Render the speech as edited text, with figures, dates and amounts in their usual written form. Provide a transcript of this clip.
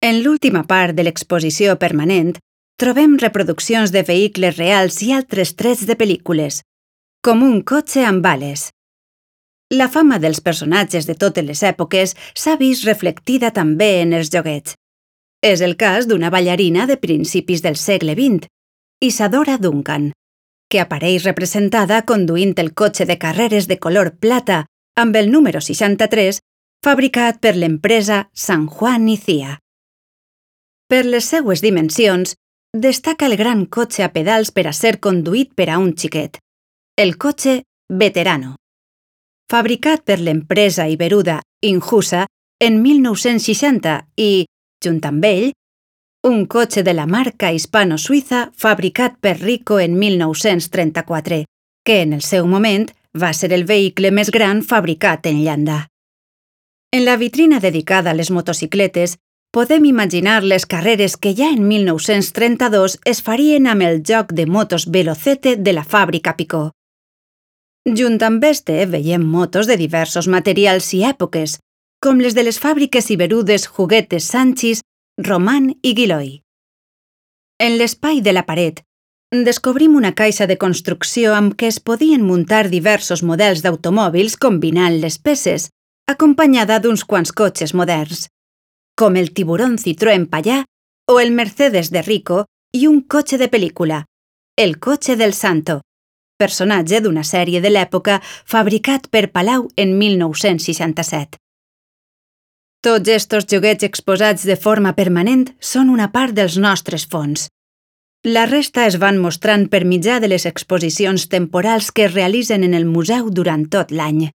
En l'última part de l'exposició permanent trobem reproduccions de vehicles reals i altres trets de pel·lícules, com un cotxe amb bales. La fama dels personatges de totes les èpoques s'ha vist reflectida també en els joguets. És el cas d'una ballarina de principis del segle XX, Isadora Duncan, que apareix representada conduint el cotxe de carreres de color plata amb el número 63, fabricat per l'empresa San Juan y Cía. Per les seues dimensions, destaca el gran cotxe a pedals per a ser conduït per a un xiquet, el cotxe Veterano. Fabricat per l'empresa iberuda Injusa en 1960 i, junt amb ell, un cotxe de la marca hispano-suïssa fabricat per Rico en 1934, que en el seu moment va ser el vehicle més gran fabricat en llanda. En la vitrina dedicada a les motocicletes, podem imaginar les carreres que ja en 1932 es farien amb el joc de motos Velocete de la fàbrica Picó. Junt amb este veiem motos de diversos materials i èpoques, com les de les fàbriques iberudes Juguetes Sanchis, Román i Guilloy. En l'espai de la paret, descobrim una caixa de construcció amb què es podien muntar diversos models d'automòbils combinant les peces, acompanyada d'uns quants cotxes moderns, com el Tiburón Citroën Pallà o el Mercedes de Rico i un cotxe de pel·lícula, el cotxe del Santo, personatge d'una sèrie de l'època fabricat per Palau en 1967. Tots estos joguets exposats de forma permanent són una part dels nostres fons. La resta es van mostrant per mitjà de les exposicions temporals que es realitzen en el museu durant tot l'any.